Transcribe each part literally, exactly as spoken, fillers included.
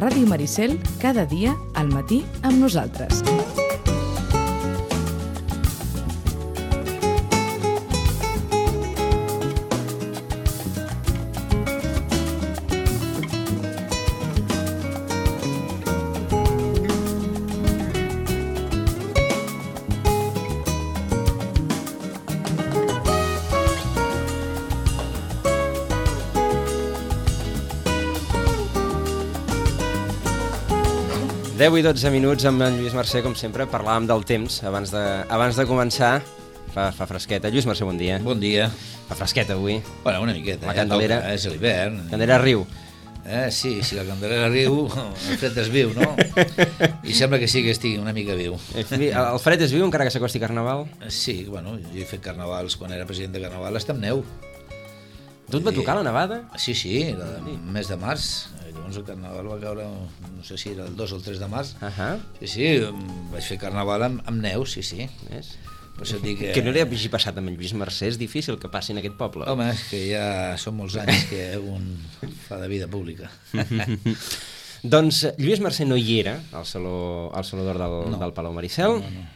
Ràdio Maricel, cada dia al matí amb nosaltres. deu i dotze minuts amb en Lluís Mercè, com sempre, parlàvem del temps abans de, abans de començar. Fa, fa fresqueta. Lluís Mercè, bon dia. Bon dia. Fa fresqueta avui. Bueno, una miqueta. La Candelera. Ja toca, és l'hivern. Candelera riu. Eh, sí, si la Candelera riu, el fred és viu, no? I sembla que sí que estigui una mica viu. El fred és viu encara que s'acosti Carnaval? Sí, bueno, jo he fet carnavals quan era president de Carnaval, està amb neu. Tu et va tocar la nevada? Sí, sí, el mes de març. Llavors el Carnaval va caure, no sé si era el dos o el tres de març. Uh -huh. Sí, sí, vaig fer Carnaval amb, amb neu, sí, sí. És? Per això dic que... Que no li hagi passat amb en Lluís Mercè, és difícil que passi en aquest poble. Home, és que ja són molts anys que un fa de vida pública. Doncs Lluís Mercè no hi era al Saló, al Saló d'Or del, no. del Palau Maricel. No, no.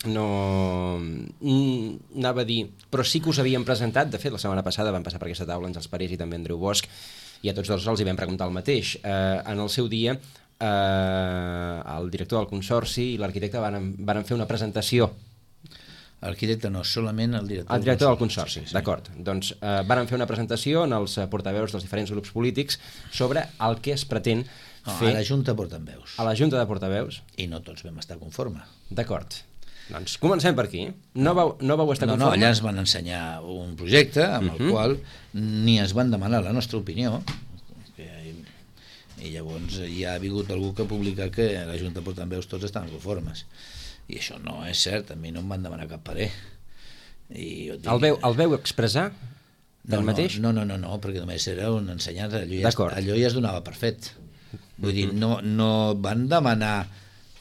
No, anava a dir, però sí que us havíem presentat, de fet la setmana passada van passar per aquesta taula Àngels Parés i també Andreu Bosch, i a tots dos els hi vam preguntar el mateix. Eh, en el seu dia eh, el director del Consorci i l'arquitecte van, van fer una presentació. L'arquitecte no, solament el director, el director del Consorci, sí, sí. D'acord. Doncs eh, van fer una presentació en els portaveus dels diferents grups polítics sobre el que es pretén no, fer... A la Junta portaveus. A la Junta de portaveus. I no tots vam estar conforme. D'acord. Doncs comencem per aquí. No vau, no vau estar no, conforme? No, allà ens van ensenyar un projecte amb uh -huh. el qual ni ens van demanar la nostra opinió, que, i llavors ja ha vingut algú que ha publicat que a la Junta de Portaveus tots estan conformes. I això no és cert, a mi no em van demanar cap parer. I jo dic, el, veu, el veu expressar del no, mateix? No, no, no, no, perquè només era un ensenyat, allò ja, allò ja es donava per fet. Vull uh -huh. dir, no, no van demanar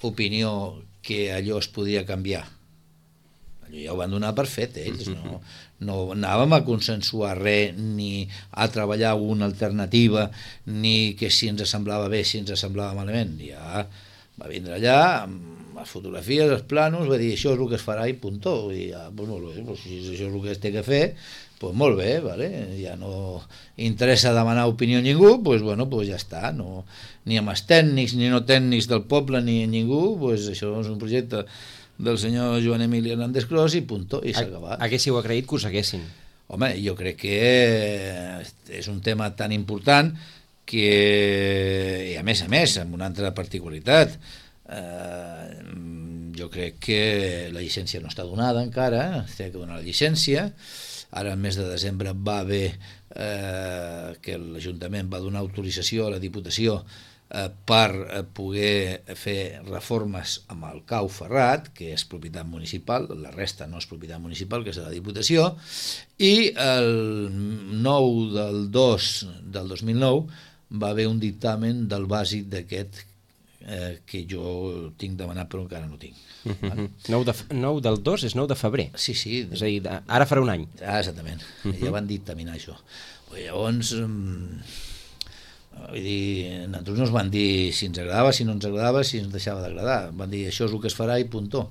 opinió que allò es podia canviar. Allò ja ho van donar per fet ells, no, no anàvem a consensuar res, ni a treballar una alternativa, ni que si ens semblava bé, si ens semblava malament. Ja va vindre allà amb les fotografies, els planos, va dir això és el que es farà i puntó. I ja, doncs molt bé, doncs si això és el que es té que fer, doncs molt bé, vale? Ja no interessa demanar opinió a ningú, doncs bueno, doncs ja està, no, ni amb els tècnics ni no tècnics del poble ni ningú, doncs això és un projecte del senyor Joan Emili Hernández Cros i puntó, i s'ha acabat. Haguéssiu agraït que us haguessin? Home, jo crec que és un tema tan important que, i a més a més, amb una altra particularitat, eh, jo crec que la llicència no està donada encara, s'ha que donar la llicència. Ara, al mes de desembre, va haver eh, que l'Ajuntament va donar autorització a la Diputació eh, per eh, poder fer reformes amb el Cau Ferrat, que és propietat municipal, la resta no és propietat municipal, que és de la Diputació, i el nou del dos del dos mil nou va haver un dictamen del bàsic d'aquest eh, que jo tinc demanat però encara no tinc. Uh-huh. nou del dos és nou de febrer. Sí, sí. És a dir, ara farà un any. Ah, exactament. Uh-huh. Ja van dictaminar això. Llavors, um, vull dir, nosaltres no ens van dir si ens agradava, si no ens agradava, si ens deixava d'agradar. Van dir això és el que es farà i puntó.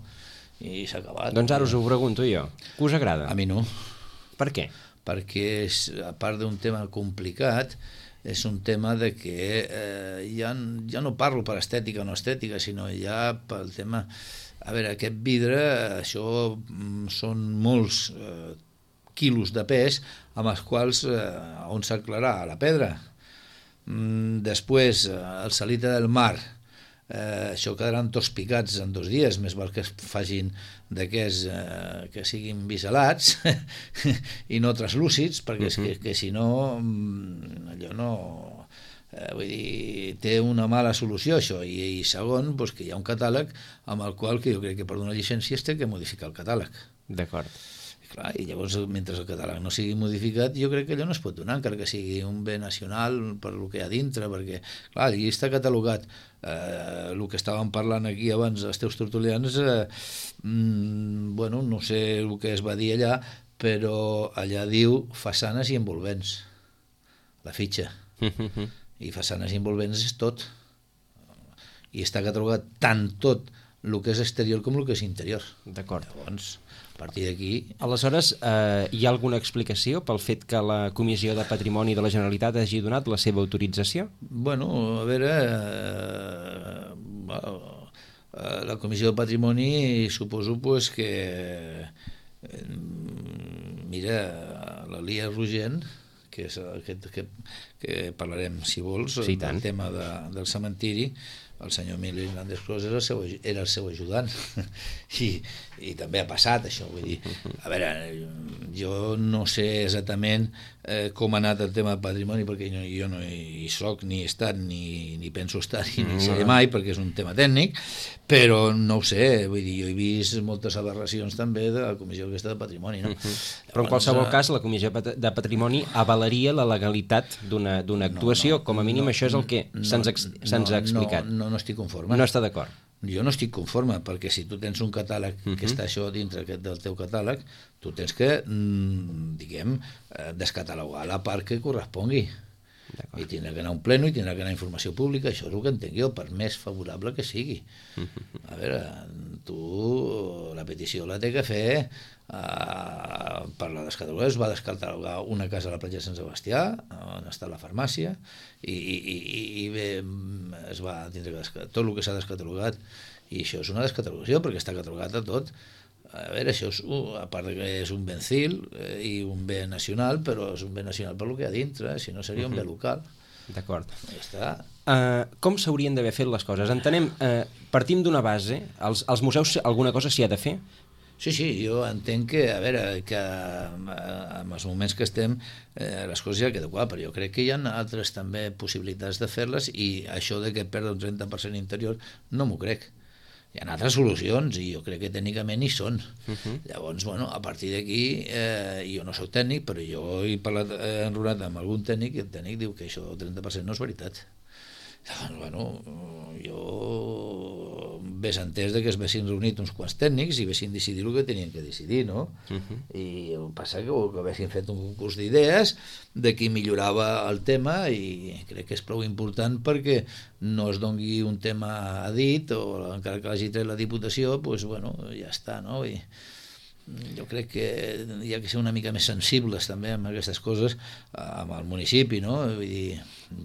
I s'ha acabat. Doncs ara us ho pregunto jo. Que us agrada? A mi no. Per què? Perquè, és, a part d'un tema complicat, és un tema de que eh, ja, ja no parlo per estètica o no estètica, sinó ja pel tema... A veure, aquest vidre, això mm, són molts eh, quilos de pes amb els quals eh, on s'aclarà la pedra. Mm, després, eh, el salite del mar, eh, això quedaran tots picats en dos dies, més val que es facin d'aquests eh, que siguin biselats i no translúcids, perquè uh-huh. és que, que si no allò no eh, vull dir, té una mala solució això, i, i segon, doncs que hi ha un catàleg amb el qual que jo crec que per donar llicència es té que modificar el catàleg. D'acord. Clar, i llavors, mentre el catàleg no sigui modificat, jo crec que allò no es pot donar, encara que sigui un bé nacional per lo que hi ha dintre, perquè, clar, allí està catalogat eh, el que estàvem parlant aquí abans, els teus tertulians, eh, mm, bueno, no sé el que es va dir allà, però allà diu façanes i envolvents, la fitxa. i façanes envolvents és tot. I està catalogat tant tot el que és exterior com el que és interior. D'acord. Llavors, a partir d'aquí... Aleshores, eh, hi ha alguna explicació pel fet que la Comissió de Patrimoni de la Generalitat hagi donat la seva autorització? Bueno, a veure... Eh, la Comissió de Patrimoni suposo pues, que... Eh, mira, l'Elia Rogent, que és aquest que, que parlarem, si vols, sí, del tema de, del cementiri, el senyor Emili Hernández Clos era el seu, era el seu ajudant I, i també ha passat això, vull dir, a veure, jo no sé exactament eh, com ha anat el tema de patrimoni, perquè jo, jo no hi soc, ni he estat, ni, ni penso estar, ni mm, seré mai, perquè és un tema tècnic, però no ho sé, vull dir, jo he vist moltes aberracions també de la Comissió aquesta de Patrimoni, no? Mm-hmm. Però en qualsevol cas, la Comissió de Patrimoni avalaria la legalitat d'una d'una actuació, no, no, com a mínim no, això és el que no, se'ns no, ha explicat. No, no, no estic conforme. No està d'acord. Jo no estic conforme, perquè si tu tens un catàleg uh-huh. que està això dintre del teu catàleg, tu tens que, diguem, descatalogar la part que correspongui. I tindrà que anar a un pleno i tindrà que anar a informació pública, això és el que entenc jo, per més favorable que sigui. A veure, tu la petició la té que fer uh, per la descatalogar, es va descatalogar una casa a la platja de Sant Sebastià, on està la farmàcia, i, i, i bé, es va tindre que descatalogar tot el que s'ha descatalogat, i això és una descatalogació, perquè està catalogat a tot. A veure, això és, uh, a part que és un bencil eh, i un bé nacional, però és un bé nacional per lo que hi ha dintre, eh? Si no seria un bé local. D'acord. Ja està. Uh, com s'haurien d'haver fet les coses? Entenem, uh, partim d'una base, als, als museus alguna cosa s'hi ha de fer? Sí, sí, jo entenc que, a veure, que en els moments que estem eh, les coses ja queden clar, però jo crec que hi ha altres també possibilitats de fer-les i això de que perda un trenta per cent interior no m'ho crec. Hi ha altres solucions i jo crec que tècnicament hi són. Uh-huh. Llavors, bueno, a partir d'aquí, eh, jo no soc tècnic, però jo he parlat, he enrolat amb algun tècnic i el tècnic diu que això del trenta per cent no és veritat. Llavors, bueno, jo ves entès de que es vessin reunit uns quants tècnics i vessin decidir el que tenien que decidir, no? Uh-huh. I el passa que, que vessin fet un concurs d'idees de qui millorava el tema i crec que és prou important perquè no es dongui un tema a dit o encara que l'hagi tret la Diputació, doncs, bueno, ja està, no? I jo crec que hi ha que ser una mica més sensibles també amb aquestes coses amb el municipi, no? Vull dir,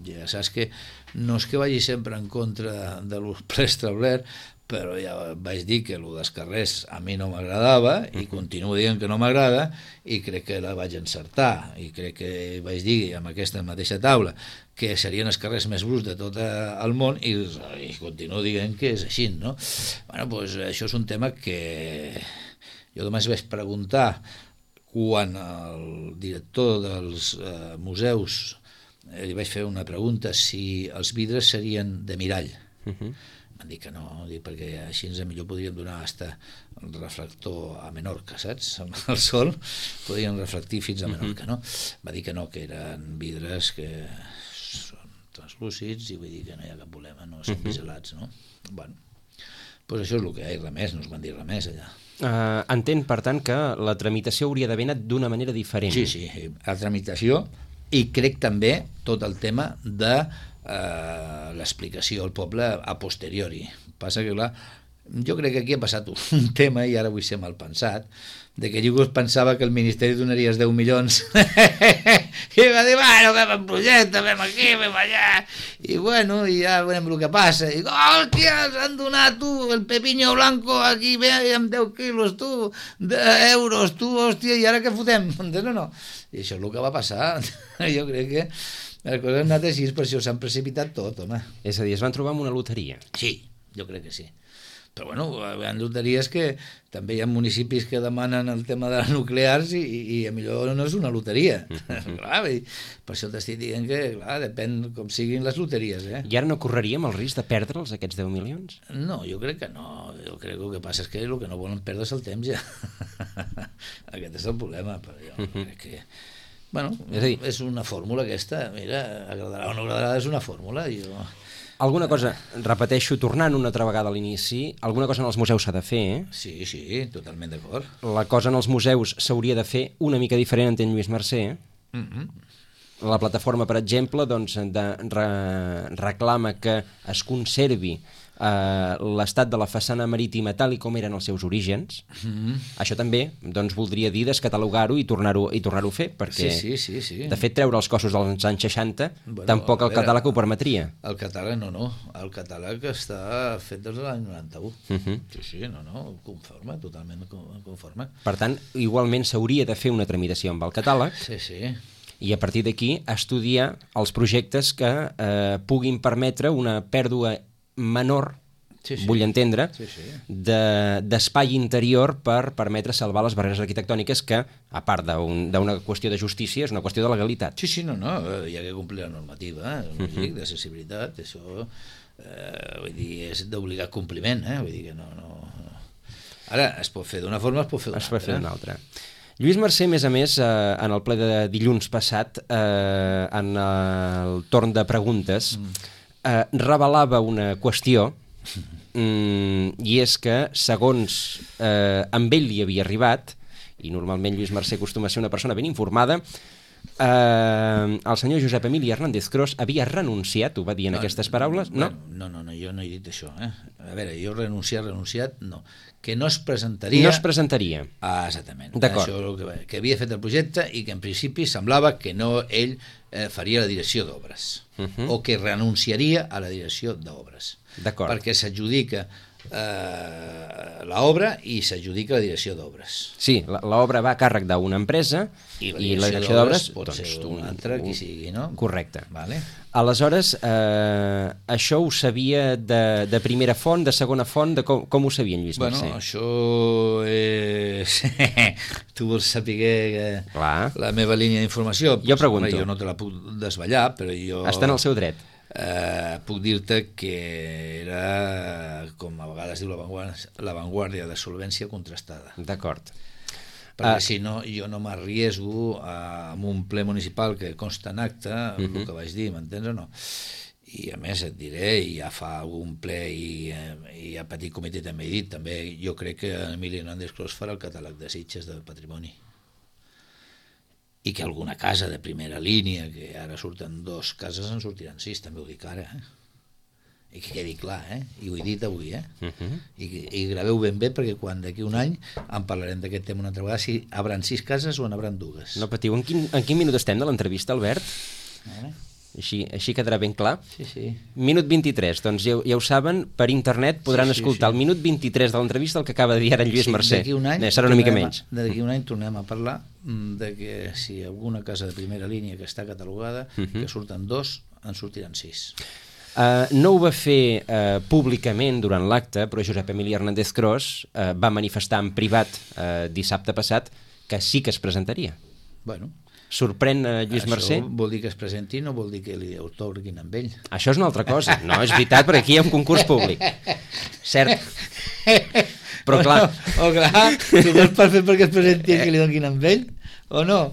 ja saps que no és que vagi sempre en contra de lo preestablert, però ja vaig dir que el dels carrers a mi no m'agradava i continuo dient que no m'agrada i crec que la vaig encertar i crec que vaig dir amb aquesta mateixa taula que serien els carrers més bruts de tot el món i, i continuo dient que és així, no? Bueno, doncs això és un tema que jo només vaig preguntar quan el director dels eh, museus eh, li vaig fer una pregunta si els vidres serien de mirall. Uh-huh. Van dir que no, dic, perquè així ens millor podríem donar hasta el reflector a Menorca, saps? El sol podrien reflectir fins a Menorca, no? Va dir que no, que eren vidres que són translúcids i vull dir que no hi ha cap problema, no són biselats, no? Bueno, doncs això és el que hi ha i res més, no us van dir res més allà. Uh, entenc, per tant, que la tramitació hauria d'haver anat d'una manera diferent. Sí, sí, la tramitació i crec també tot el tema de eh, l'explicació al poble a posteriori. Passa que, clar, jo crec que aquí ha passat un tema, i ara vull ser mal pensat, de que jo pensava que el Ministeri donaria els deu milions i va dir, bueno, fem el projecte, fem aquí, fem allà i bueno, i ja veurem el que passa i hòstia, ens han donat tu el pepiño blanco aquí, ve amb deu quilos tu, d'euros tu, hòstia, i ara què fotem? No, no, i això és el que va passar. Jo crec que les coses han anat així, per això s'han precipitat tot, home. És a dir, es van trobar amb una loteria. Sí, jo crec que sí. Però bueno, hi ha loteries que també hi ha municipis que demanen el tema de les nuclears i, i a millor no és una loteria. Clar, per això t'estic dient que, clar, depèn com siguin les loteries, eh? I ara no correríem el risc de perdre'ls, aquests deu milions? No, jo crec que no. Jo crec que el que passa és que el que no volen perdre és el temps, ja. Aquest és el problema, però jo crec que... Bueno, és, dir, és una fórmula aquesta, mira, agradarà o no agradarà, és una fórmula, jo... Alguna cosa, repeteixo, tornant una altra vegada a l'inici, alguna cosa en els museus s'ha de fer, eh? Sí, sí, totalment d'acord. La cosa en els museus s'hauria de fer una mica diferent, entén Lluís Mercè, eh? Mm-hmm. La plataforma, per exemple, doncs, de, re, reclama que es conservi Uh, l'estat de la façana marítima tal i com eren els seus orígens. Mm-hmm. Això també doncs, voldria dir descatalogar-ho i tornar-ho i tornar-ho a fer, perquè sí, sí, sí, sí. de fet treure els cossos dels anys seixanta bueno, tampoc el veure, catàleg ho permetria. El catàleg no, no, el catàleg està fet des de l'any noranta-u. Mm-hmm. Sí, sí, no, no, conforme, totalment conforme. Per tant, igualment s'hauria de fer una tramitació amb el catàleg. Sí, sí. I a partir d'aquí estudiar els projectes que eh, puguin permetre una pèrdua menor, sí, sí. vull entendre, sí, sí. De, d'espai interior per permetre salvar les barreres arquitectòniques que, a part d'un, d'una qüestió de justícia, és una qüestió de legalitat. Sí, sí, no, no, hi ha que complir la normativa, eh? Uh-huh. D'accessibilitat, això eh, vull dir, és d'obligat compliment, eh? Vull dir que no, no... Ara, es pot fer d'una forma, es pot fer d'una altra. Es pot fer d'una altra. Lluís Mercè, a més a més, eh, en el ple de dilluns passat, eh, en el torn de preguntes, mm. Eh, revelava una qüestió mm, i és que segons eh, amb ell li havia arribat, i normalment Lluís Mercè acostuma a ser una persona ben informada, eh, el senyor Josep Emili Hernández Cros havia renunciat, ho va dir en no, aquestes paraules? No? no, no, no, jo no he dit això. Eh? A veure, jo renunciat, renunciat, no. Que no es presentaria... No es presentaria. Ah, exactament. D'acord. Això que, que havia fet el projecte i que en principi semblava que no ell eh, faria la direcció d'obres. Uh-huh. O que renunciaria a la direcció d'obres. D'acord. Perquè s'adjudica eh, l'obra i s'adjudica la direcció d'obres. Sí, l'obra va a càrrec d'una empresa i la direcció, i la direcció d'obres pot doncs, ser una altra, qui sigui, no? Correcte. Vale. Aleshores, eh, això ho sabia de, de primera font, de segona font, de com, com ho sabia en Lluís bueno, Mercè? Bueno, això és... tu vols saber que... la meva línia d'informació? Jo pregunto. Home, jo no te la puc desvetllar, però jo... Està en el seu dret. Eh, puc dir-te que era, com a vegades diu l'avantguàrdia de solvència contrastada. D'acord. Perquè uh, si no, jo no m'arriesgo amb un ple municipal que consta en acte, uh-huh. el que vaig dir, m'entens o no? I a més et diré, i ja fa algun ple i, i a petit comitè també he dit, també jo crec que Emili Hernández Cros farà el catàleg de Sitges del patrimoni. I que alguna casa de primera línia, que ara surten dos cases, en sortiran sis, també ho dic ara, eh? I que quedi clar, eh? I ho he dit avui, eh? Uh-huh. I, i graveu ben bé, perquè quan d'aquí un any en parlarem d'aquest tema una altra vegada, si hauran sis cases o n'hauran dues. No patiu. En quin, en quin minut estem de l'entrevista, Albert? Eh? Així, així quedarà ben clar. Sí, sí. Minut vint-i-tres, doncs ja, ja ho saben, per internet podran sí, sí, escoltar sí. El minut vint-i-tres de l'entrevista, el que acaba de dir ara en Lluís sí, Mercè. D'aquí un any, Bé, serà una mica menys. D'aquí un any tornem a parlar de que si alguna casa de primera línia que està catalogada, uh-huh. que surten dos, en sortiran sis. Uh, no ho va fer uh, públicament durant l'acte, però Josep Emili Hernández Cros uh, va manifestar en privat uh, dissabte passat que sí que es presentaria. Bueno, sorprèn uh, Lluís això Mercè? Això vol dir que es presenti, no vol dir que li atorguin amb ell. Això és una altra cosa. No, és veritat, perquè aquí hi ha un concurs públic. Cert. Però clar... O, o clar, tu vols per fer perquè es presenti que li donin amb ell? O no?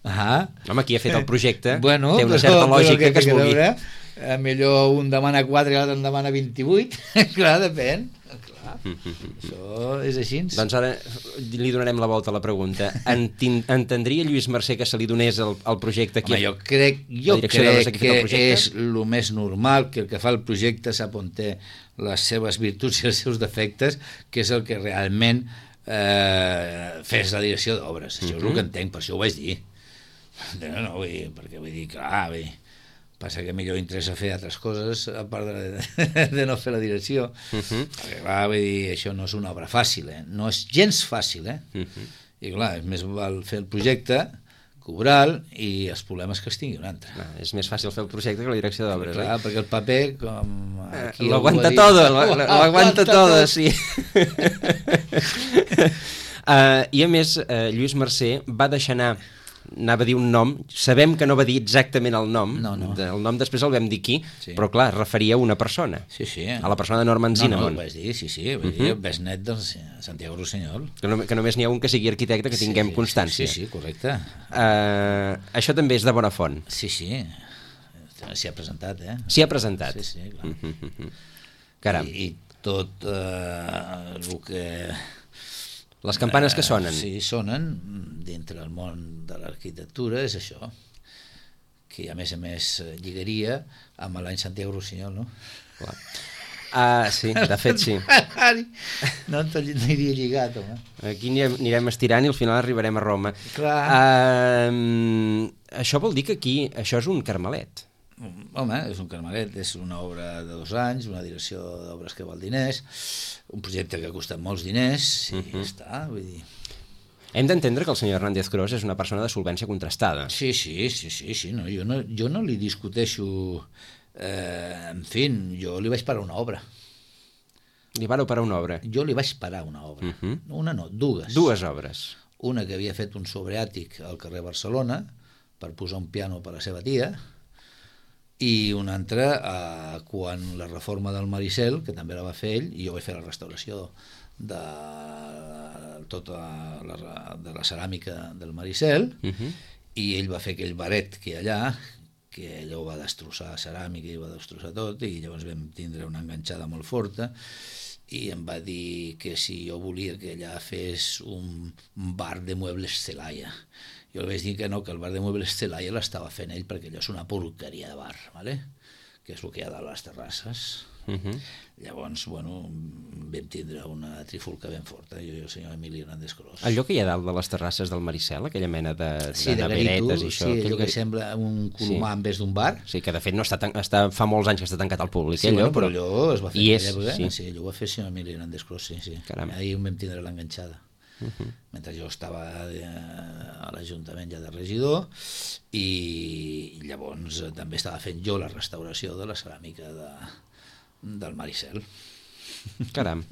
Ah. Home, qui ha fet el projecte bueno, té una però, certa lògica que, que es vulgui. Veure, eh, millor un demana quatre i l'altre en demana vint-i-vuit. Clar, depèn. Clar. Això és així. Doncs ara li donarem la volta a la pregunta. Entendria Lluís Mercè que se li donés el, el projecte aquí? Home, jo crec, jo crec que és el més normal que el que fa el projecte sap on té les seves virtuts i els seus defectes, que és el que realment eh, fes la direcció d'obres. Això uh-huh. és el que entenc, per això ho vaig dir. No, no, vull dir, perquè vull dir, clar, vull dir, passa que millor interessa fer altres coses a part de, de no fer la direcció. Uh-huh. Perquè, clar, vull dir, això no és una obra fàcil, eh? No és gens fàcil, eh? Uh-huh. I clar, és més val fer el projecte, cobrar-lo, i els problemes que es tingui un altre. No, és més fàcil fer el projecte que la direcció d'obres. Clar, eh? Perquè el paper, com aquí... Eh, lo aguanta tot, lo aguanta tot, sí. uh, I a més, uh, Lluís Mercè va deixar anar, anava a dir un nom, sabem que no va dir exactament el nom, no, no. el nom després el vam dir aquí, sí. Però clar, es referia a una persona, sí, sí. a la persona de Norman Zinnamon. No, no, ho vaig dir, sí, sí, vull uh-huh. dir, el besnet del Santiago Rossinyol. Que, no, que només n'hi ha un que sigui arquitecte, que tinguem sí, constància. Sí, sí, correcte. Uh, això també és de bona font. Sí, sí, s'hi ha presentat, eh? S'hi ha presentat. Sí, sí, clar. Uh-huh. Caram. I, i tot eh, el que... Les campanes que sonen. Sí, sonen dintre del món de l'arquitectura, és això, que a més a més lligaria amb l'any Santiago Rossinyol, no? Clar. Ah, sí, de fet sí. No t'aniria lligat, home. Aquí anirem, anirem estirant i al final arribarem a Roma. Clar. Uh, això vol dir que aquí, això és un carmelet. Home, és un carmelet, és una obra de dos anys, una direcció d'obres que val diners, un projecte que ha costat molts diners, i uh -huh. ja està, vull dir... Hem d'entendre que el senyor Hernández Cros és una persona de solvència contrastada. Sí, sí, sí, sí, sí no, jo, no, jo no li discuteixo... Eh, en fi, jo li vaig parar una obra. Li vareu parar una obra? Jo li vaig parar una obra. Uh -huh. Una no, dues. Dues obres. Una que havia fet un sobreàtic al carrer Barcelona per posar un piano per a la seva tia, i una altra eh, quan la reforma del Maricel, que també la va fer ell, i jo vaig fer la restauració de tota la, de la ceràmica del Maricel, uh -huh. i ell va fer aquell baret que hi ha allà, que allò va destrossar ceràmica i va destrossar tot, i llavors vam tindre una enganxada molt forta, i em va dir que si jo volia que allà fes un bar de muebles Celaya. Jo li vaig dir que no, que el bar de muebles Celaya l'estava fent ell, perquè allò és una porqueria de bar, ¿vale? Que és el que hi ha dalt a les terrasses. Uh -huh. Llavors, bueno, vam tindre una trifulca ben forta, jo i el senyor Emili Hernández Cros. Allò que hi ha dalt de les terrasses del Maricel, aquella mena de, sí, de, de neveretes garito, i això... sí, allò que... que sembla un colomar sí. en vez d'un bar. Sí, que de fet no està, tan, està fa molts anys que està tancat al públic, sí, allò, bueno, però allò es va fer I en és, època, sí. sí, allò ho va fer el senyor Emili Hernández Cros, sí, sí. Caram. Ahir vam tindre l'enganxada. Uh -huh. Mentre jo estava a l'Ajuntament ja de regidor, i llavors també estava fent jo la restauració de la ceràmica de, del Maricel. Caram,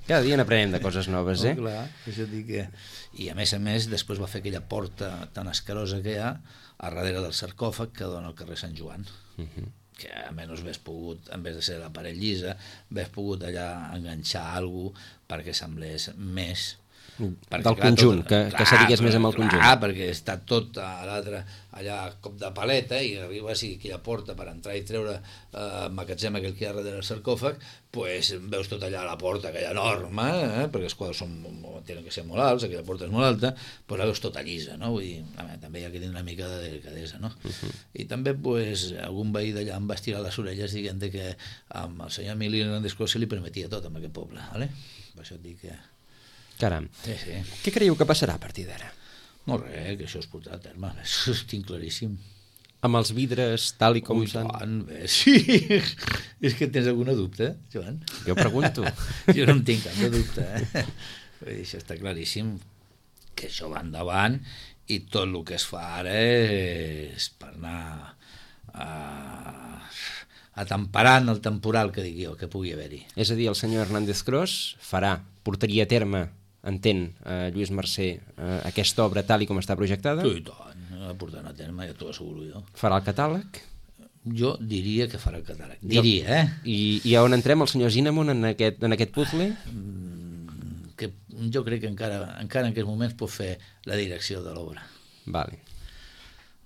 cada dia n'aprenem de coses noves, eh? Oh, clar, això dic que... I a més a més després va fer aquella porta tan escarosa que hi ha a darrere del sarcòfag que dona al carrer Sant Joan. Uh -huh. Que almenys hagués pogut, en vez de ser la paret llisa, hagués pogut allà enganxar alguna cosa perquè semblés més perquè, del clar, conjunt, tot, que, clar, que s'adigués més amb el conjunt. Clar, perquè està tot a l'altre allà a cop de paleta, i arribes i aquella porta per entrar i treure eh, el magatzem aquell que hi ha darrere del sarcòfag, pues veus tot allà a la porta, aquella enorme, eh, perquè els quadres són, tenen que ser molt alts, aquella porta és molt alta, pues la veus tota llisa, no? Vull dir, home, també hi ha que tenir una mica de delicadesa, no? Uh -huh. I també, pues, algun veí d'allà em va estirar les orelles dient que amb el senyor Emili Hernández Cros se li permetia tot en aquest poble, ¿vale? Per això et dic que... Caram. Sí, sí. Què creieu que passarà a partir d'ara? No res, que això es portarà a terme, això ho tinc claríssim. Amb els vidres tal i com Ui, s'han... tant, bé, sí. És que tens alguna dubte, Joan? Jo pregunto. Jo no en tinc cap de dubte, eh? Vull dir, això està claríssim, que això va endavant, i tot el que es fa ara és per anar a... atemperant el temporal que digui jo, que pugui haver-hi. És a dir, el senyor Hernández Cros farà, portaria a terme, entén, eh, Lluís Mercè, eh, aquesta obra tal i com està projectada? Sí, i tant, la portant a terme, ja t'ho asseguro jo. Farà el catàleg? Jo diria que farà el catàleg. Diria, eh? I, i on entrem, el senyor Zinamon, en aquest, en aquest puzzle? Mm, que jo crec que encara, encara en aquests moments pot fer la direcció de l'obra. Vale.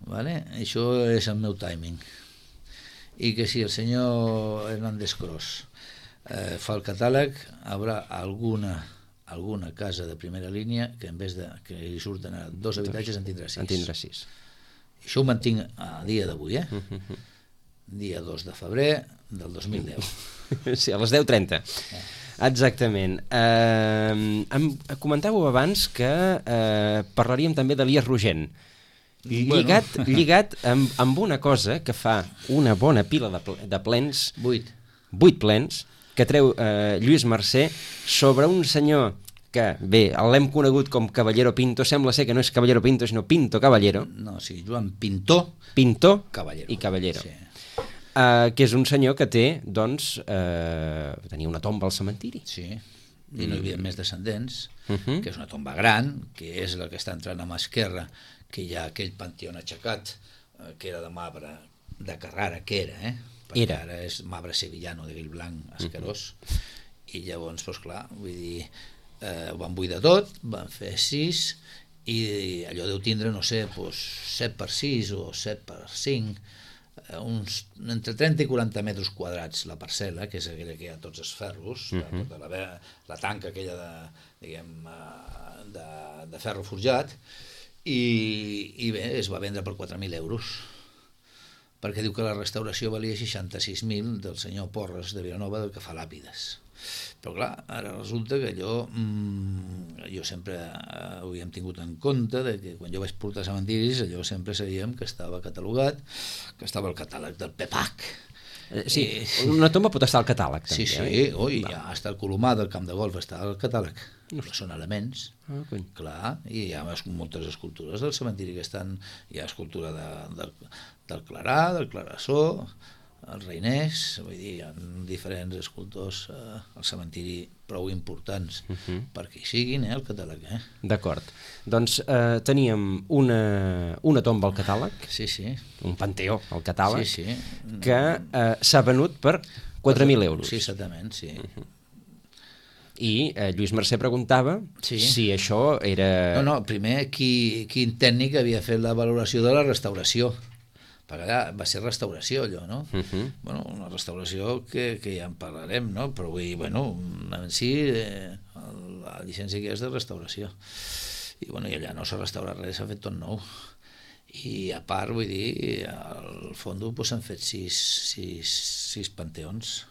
Vale? Això és el meu timing. I que si el senyor Hernández Cros eh, fa el catàleg, haurà alguna alguna casa de primera línia que en vez de que hi surten a dos habitatges en tindrà sis. En tindrà sis. Això ho mantinc a dia d'avui, eh? Uh-huh. Dia dos de febrer del dos mil deu. Sí, a les deu trenta. Eh. Exactament. Eh, em comentàveu abans que eh, parlaríem també d'Elies Rogent. Lligat, bueno. lligat amb, amb una cosa que fa una bona pila de, ple, de plens, vuit. vuit plens, que treu eh, Lluís Mercè sobre un senyor que, bé, l'hem conegut com Caballero Pinto, sembla ser que no és Caballero Pinto, sinó Pinto Caballero. No, sí, Joan Pintó. Pintó Caballero. I Caballero. Sí. Uh, que és un senyor que té, doncs, uh, tenia una tomba al cementiri. Sí, i no hi havia més descendents, uh -huh. que és una tomba gran, que és la que està entrant a mà esquerra, que hi ha aquell panteó aixecat, eh, que era de marbre de Carrara, que era, eh? Perquè era. Ara és marbre sevillano, de Guill Blanc, escarós, uh -huh. i llavors, doncs clar, vull dir, eh, ho van buidar tot, van fer sis, i allò deu tindre, no sé, doncs, set per sis o set per cinc, uns, entre trenta i quaranta metres quadrats la parcel·la, que és aquella que hi ha tots els ferros, uh -huh. tota la, la tanca aquella de, diguem, de, de ferro forjat, i, i bé, es va vendre per quatre mil euros. perquè diu que la restauració valia seixanta-sis mil del senyor Porres de Vilanova, que fa làpides. Però clar, ara resulta que allò mmm, jo sempre eh, ho havíem tingut en compte, de que quan jo vaig portar cementiris allò sempre sabíem que estava catalogat, que estava el catàleg del PEPAC. Eh, sí, I, una tomba pot estar al catàleg també. Sí, sí, eh? oi, ja està el Colomar del camp de golf, està al catàleg. No. Són elements, ah, clar, i hi ha moltes escultures del cementiri que estan, hi ha escultura de, de, del Clarà, del Clarassó, el Reinès, vull dir, hi ha diferents escultors eh, al cementiri prou importants uh -huh. perquè hi siguin, eh, el catàleg. Eh? D'acord. Doncs eh, teníem una, una tomba al catàleg, sí, sí. un panteó al catàleg, sí, sí. que eh, s'ha venut per quatre mil euros. Sí, exactament, sí. Uh -huh. I eh, Lluís Mercè preguntava sí. si això era... No, no, primer, qui, quin tècnic havia fet la valoració de la restauració? Perquè allà va ser restauració allò, no? Uh -huh. Bueno, una restauració que, que ja en parlarem, no? Però vull dir, bueno, en si eh, la llicència que és de restauració. I bueno, i allà no s'ha restaurat res, s'ha fet tot nou. I a part, vull dir, al fondo pues, s'han fet sis, sis, sis panteons.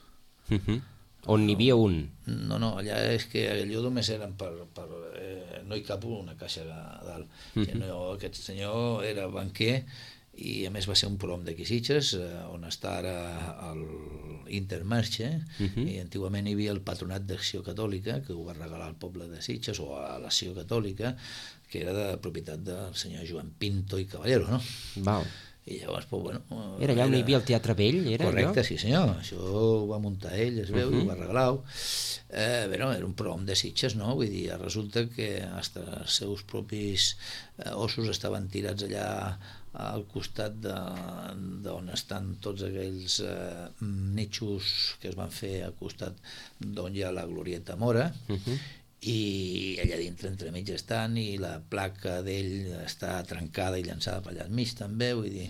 Uh -huh. On n'hi havia un? No, no, allà és que allò només eren per... per eh, no hi cap una caixa a dalt. Uh -huh. No, aquest senyor era banquer i a més va ser un prom d'aquí Sitges, eh, on està ara l'Intermarché, uh -huh. i antigament hi havia el Patronat d'Acció Catòlica, que ho va regalar al poble de Sitges, o a l'Acció Catòlica, que era de propietat del senyor Joan Pinto i Caballero, no? Val. I llavors, pues, bueno... Era allà on hi havia el Teatre Vell, era correcte, allò? Sí senyor, això ho va muntar ell, es veu, uh -huh. i ho va regalar. Eh, bueno, era un prom de Sitges, no? Vull dir, resulta que fins els seus propis eh, ossos estaven tirats allà al costat d'on estan tots aquells eh, nitxos que es van fer al costat d'on hi ha la Glorieta Mora, uh -huh. i allà dintre entremig estan, i la placa d'ell està trencada i llançada per allà enmig també, vull dir,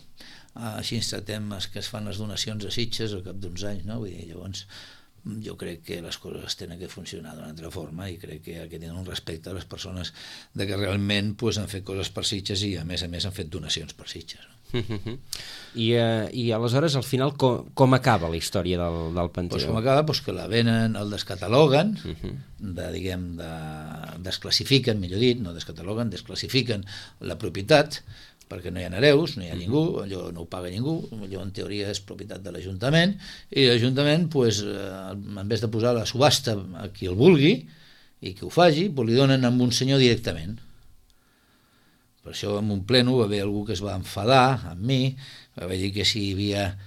així ens tratem que es fan les donacions a Sitges al cap d'uns anys, no? Vull dir, llavors jo crec que les coses tenen que funcionar d'una altra forma, i crec que, que tenen un respecte a les persones de que realment pues, han fet coses per Sitges i a més a més han fet donacions per Sitges, no? I, uh, i aleshores al final com, com acaba la història del, del panteó? Pues com acaba? Pues que la venen, el descataloguen, uh -huh. de, diguem, de, desclassifiquen, millor dit, no descataloguen, desclassifiquen la propietat, perquè no hi ha hereus, no hi ha ningú, allò no ho paga ningú, allò en teoria és propietat de l'Ajuntament, i l'Ajuntament, pues, eh, en vez de posar la subhasta a qui el vulgui i que ho faci, pues, li donen amb un senyor directament. Per això en un pleno va haver algú que es va enfadar amb mi, va dir que si hi havia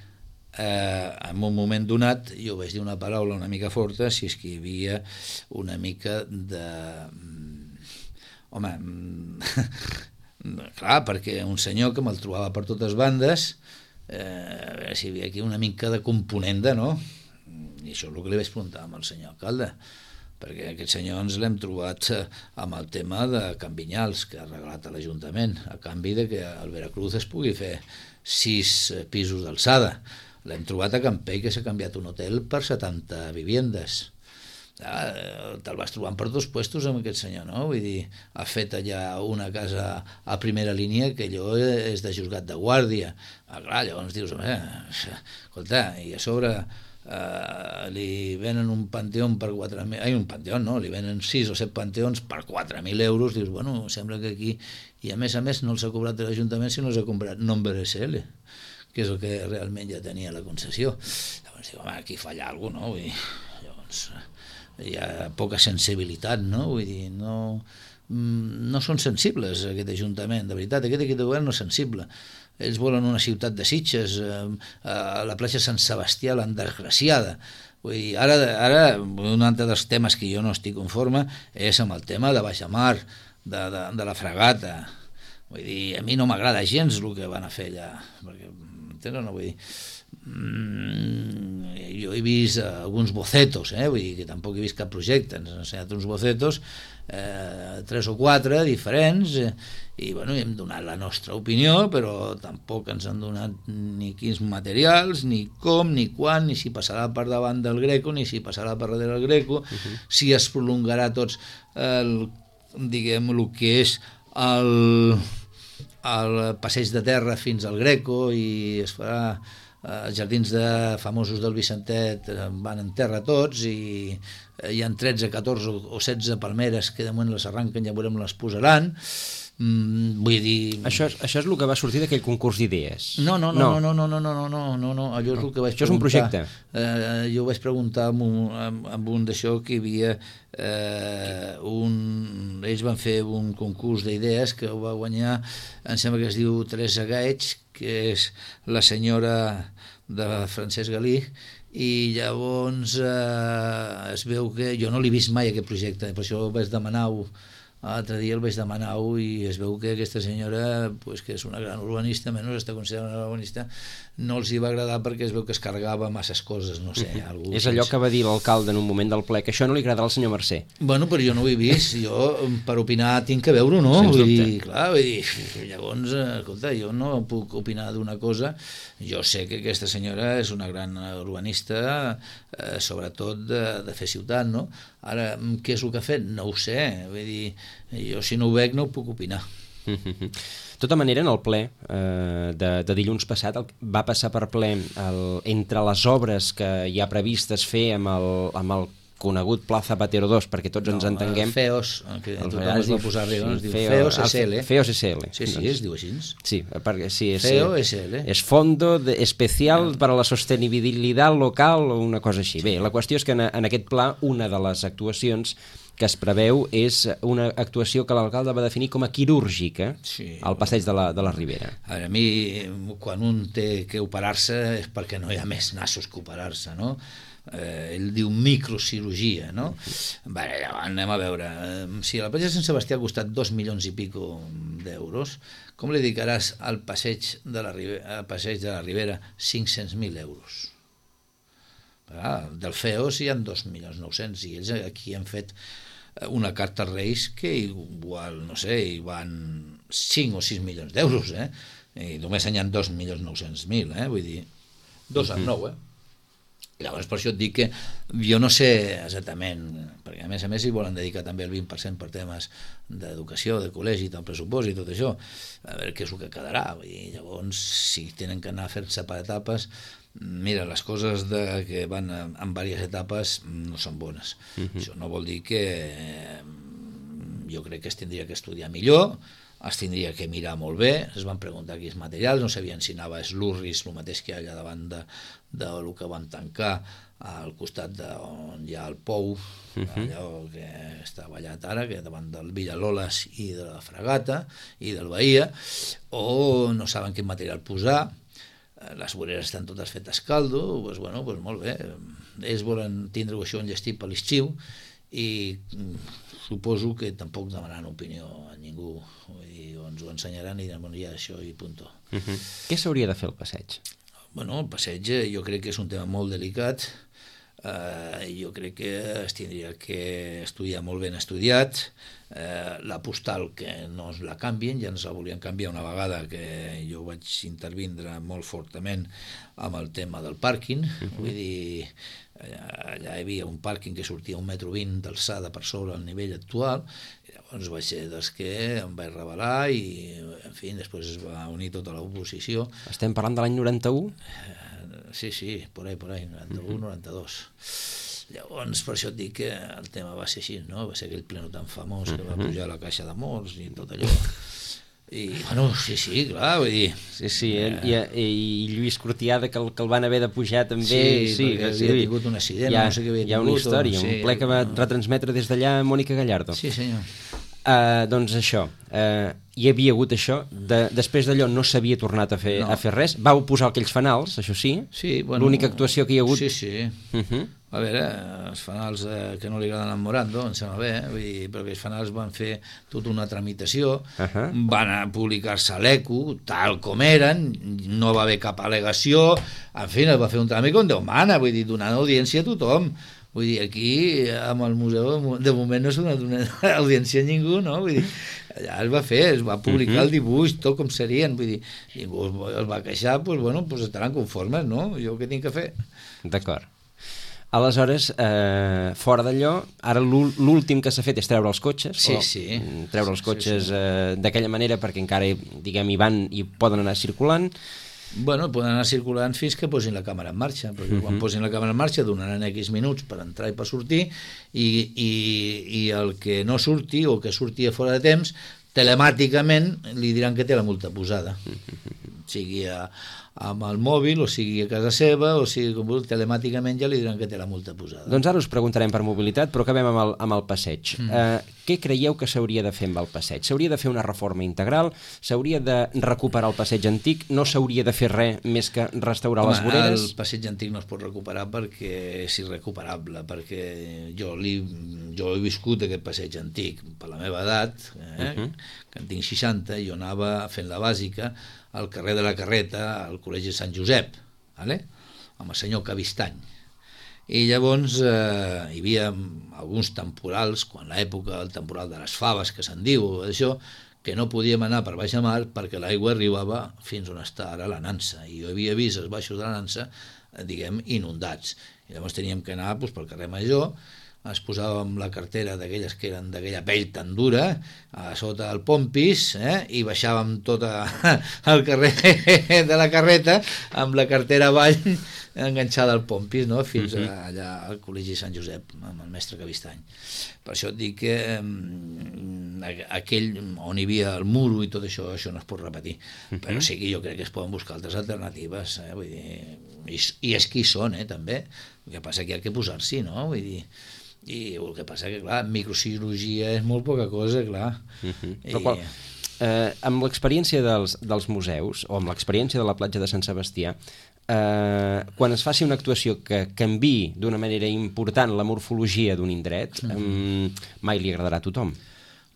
eh, en un moment donat, jo vaig dir una paraula una mica forta, si és que hi havia una mica de... Home... clar, perquè un senyor que me'l trobava per totes bandes, eh, a veure si hi havia aquí una mica de componenda, no? I això és el que li vaig preguntar amb el senyor alcalde, perquè aquest senyor ens l'hem trobat amb el tema de Can Vinyals, que ha regalat a l'Ajuntament, a canvi de que al Veracruz es pugui fer sis pisos d'alçada. L'hem trobat a Campell, que s'ha canviat un hotel per setanta viviendes. Ah, te'l vas trobant per dos puestos amb aquest senyor, no? Vull dir, ha fet allà una casa a primera línia que allò és de juzgat de guàrdia. Ah, clar, llavors dius, home, escolta, i a sobre eh, li venen un panteó per quatre mil, ai, un panteó, no, li venen sis o set panteons per quatre mil euros, dius, bueno, sembla que aquí, i a més a més no els ha cobrat l'Ajuntament, sinó els ha comprat Nombre S L, que és el que realment ja tenia la concessió. Llavors diu, home, aquí falla alguna cosa, no? Vull dir, llavors... hi ha poca sensibilitat, no? Vull dir, no, no són sensibles aquest Ajuntament, de veritat, aquest equip de govern no és sensible. Ells volen una ciutat de Sitges, eh, a la platja Sant Sebastià l'han desgraciada. Vull dir, ara, ara un altre dels temes que jo no estic conforme és amb el tema de baixamar, de, de, de la fragata. Vull dir, a mi no m'agrada gens el que van a fer allà, perquè, entens, no? Vull dir, Mm, jo he vist alguns bocetos, eh? Vull dir que tampoc he vist cap projecte, ens han ensenyat uns bocetos, eh, tres o quatre diferents, eh, i bueno, hem donat la nostra opinió, però tampoc ens han donat ni quins materials, ni com, ni quan, ni si passarà per davant del Greco, ni si passarà per darrere del Greco, uh-huh. si es prolongarà tots el, diguem, el que és el... al passeig de terra fins al Greco i es farà els jardins de famosos del Vicentet, van en terra tots i hi ha tretze, catorze o setze palmeres que de moment les arranquen, ja veurem les posaran. Mm, vull dir... Això, això és el que va sortir d'aquell concurs d'idees? No, no, no, no, no, no, no, no, no, no, no, allò és el que vaig això preguntar. Això és un projecte? Eh, jo vaig preguntar amb un, amb, amb un d'això que hi havia eh, un... Ells van fer un concurs d'idees que ho va guanyar, em sembla que es diu Teresa Gaig, que és la senyora de Francesc Galí, i llavors eh, es veu que... Jo no l'he vist mai aquest projecte, per això vaig demanar-ho. L'altre dia el vaig demanar-ho i es veu que aquesta senyora, pues, que és una gran urbanista, menys està considerada una urbanista, no els hi va agradar perquè es veu que es carregava masses coses, no sé. Uh-huh. Algú és allò que va dir l'alcalde en un moment del ple, que això no li agradarà al senyor Mercè. Bueno, però jo no ho he vist, jo per opinar tinc que veure-ho, no? Sens vull dubte. dir, clar, vull dir, llavors, escolta, jo no puc opinar d'una cosa, jo sé que aquesta senyora és una gran urbanista, eh, sobretot de, de fer ciutat, no? Ara, què és el que ha fet? No ho sé, vull dir, jo si no ho veig no ho puc opinar. De tota manera, en el ple eh, de, de dilluns passat el, va passar per ple el, entre les obres que hi ha previstes fer amb el, amb el conegut Pla Zapatero dos, perquè tots no, ens entenguem. FEOS, que tothom es va posar arriba, sí, es diu FEOS S L. FEOS S L. Sí, sí, doncs, es diu així. Sí, perquè sí, és, FEOS S L. És Fondo de Especial no. para la Sostenibilitat Local o una cosa així. Sí. Bé, la qüestió és que en, en aquest pla una de les actuacions que es preveu és una actuació que l'alcalde va definir com a quirúrgica sí, al passeig de la, de la Ribera. A veure, a mi, quan un té que operar-se és perquè no hi ha més nassos que operar-se, no? Eh, ell diu microcirurgia, no? Bé, anem a veure. Si la platja de Sant Sebastià ha costat dos milions i pico d'euros, com li dedicaràs al passeig de la Ribera, al passeig de la Ribera cinc-cents mil euros? Ah, del FEOS hi ha dos milions nou-cents i ells aquí han fet una carta als Reis que igual, no sé, hi van cinc o sis milions d'euros, eh? I només hi ha dos milions nou-cents mil, eh? Vull dir, dos amb nou, eh? Llavors, per això et dic que jo no sé exactament, perquè a més a més hi volen dedicar també el vint per cent per temes d'educació, de col·legi, del pressupost i tot això, a veure què és el que quedarà. I llavors, si tenen que anar a fer-se per etapes, mira, les coses de, que van en, en diverses etapes no són bones. Uh-huh. Això no vol dir que eh, jo crec que es tindria que estudiar millor, es tindria que mirar molt bé, es van preguntar quins materials, no sabien si anava eslurris, el mateix que hi ha allà davant de, de lo que van tancar al costat de on hi ha el pou, uh-huh. allò que està ballat ara, que davant del Villaloles i de la Fragata i del Bahia, o no saben quin material posar, les voreres estan totes fetes caldo, doncs, bueno, doncs molt bé, ells volen tindre això enllestit per l'estiu i suposo que tampoc demanaran opinió a ningú, i ens ho ensenyaran i diran, bueno, ja això i punto. Uh-huh. Què s'hauria de fer al passeig? Bueno, el passeig jo crec que és un tema molt delicat, uh, jo crec que es tindria que estudiar molt ben estudiat, uh, la postal que no es la canvien, ja ens la volien canviar una vegada que jo vaig intervindre molt fortament amb el tema del pàrquing, uh-huh. vull dir, allà hi havia un pàrquing que sortia un metro vint d'alçada per sobre el nivell actual, i llavors vaig ser dels que em vaig rebel·lar i, en fi, després es va unir tota l'oposició. Estem parlant de l'any noranta-u? Eh, sí, sí, por ahí, por ahí, noranta-u, noranta-dos. Llavors, per això et dic que el tema va ser així, no? Va ser aquell pleno tan famós que va pujar a la caixa de morts i tot allò. I, bueno, sí, sí, clar, vull dir... Sí, sí, eh, i, i Lluís Cortiada, que el, que el van haver de pujar també... Sí, sí perquè sí, havia tingut un accident, ha, no sé què havia tingut. Hi ha una història, o, sí, un ple que va retransmetre des d'allà Mònica Gallardo. Sí, senyor. Uh, doncs això, uh, hi havia hagut això, de, després d'allò no s'havia tornat a fer, no. a fer res, vau posar aquells fanals, això sí, sí, bueno, l'única actuació que hi ha hagut... Sí, sí, uh-huh. A veure, els fanals eh, que no li agraden al Morando, em sembla bé, eh? Vull dir, però aquells fanals van fer tota una tramitació, uh-huh. van a publicar-se a l'E C U, tal com eren, no va haver cap al·legació, en fi, es va fer un tràmit com Déu mana, vull dir, donant audiència a tothom. Vull dir, aquí, amb el museu, de moment no s'ha donat audiència a ningú, no? Vull dir, allà es va fer, es va publicar uh-huh. el dibuix, tot com serien, vull dir, ningú es va queixar, doncs, bueno, pues estaran conformes, no? Jo què tinc que fer? D'acord. Aleshores, eh, fora d'allò, ara l'últim que s'ha fet és treure els cotxes, sí, o sí. treure els cotxes sí, sí. Eh, d'aquella manera perquè encara, diguem, hi van i poden anar circulant. Bueno, poden anar circulant fins que posin la càmera en marxa, perquè uh -huh. quan posin la càmera en marxa donaran X minuts per entrar i per sortir, i, i, i el que no surti o que surti a fora de temps, telemàticament li diran que té la multa posada, sigui a, amb el mòbil, o sigui a casa seva, o sigui com vulgui, telemàticament ja li diran que té la multa posada. Doncs ara us preguntarem per mobilitat, però acabem amb el, amb el passeig. Mm. Eh, què creieu que s'hauria de fer amb el passeig? S'hauria de fer una reforma integral? S'hauria de recuperar el passeig antic? No s'hauria de fer res més que restaurar Home, les voreres? El passeig antic no es pot recuperar perquè és irrecuperable, perquè jo, li, jo he viscut aquest passeig antic per la meva edat, eh, uh -huh. que en tinc seixanta, i jo anava fent la bàsica al carrer de la Carreta, al Col·legi Sant Josep, vale? Amb el senyor Cavistany. I llavors eh, hi havia alguns temporals, quan l'època, el temporal de les faves, que se'n diu, això, que no podíem anar per baix a mar perquè l'aigua arribava fins on està ara la Nansa, i jo havia vist els baixos de la Nansa, diguem, inundats. I llavors teníem que anar doncs, pel carrer Major, es posàvem la cartera d'aquelles que eren d'aquella pell tan dura a sota el pompis, eh? I baixàvem tot al carrer de la Carreta amb la cartera avall enganxada al pompis, no? Fins uh -huh. a, allà al Col·legi Sant Josep amb el mestre Cavistany. Per això et dic que eh, aquell on hi havia el muro i tot això, això no es pot repetir, uh -huh. però sí que jo crec que es poden buscar altres alternatives, eh? Vull dir, i, i és qui són, eh, també. El que passa que hi ha que posar-s'hi, no? Vull dir, i el que passa que, clar, microcirurgia és molt poca cosa, clar. Uh -huh. Però qual, eh, amb l'experiència dels, dels museus, o amb l'experiència de la platja de Sant Sebastià, eh, quan es faci una actuació que canviï d'una manera important la morfologia d'un indret, uh -huh. eh, mai li agradarà a tothom.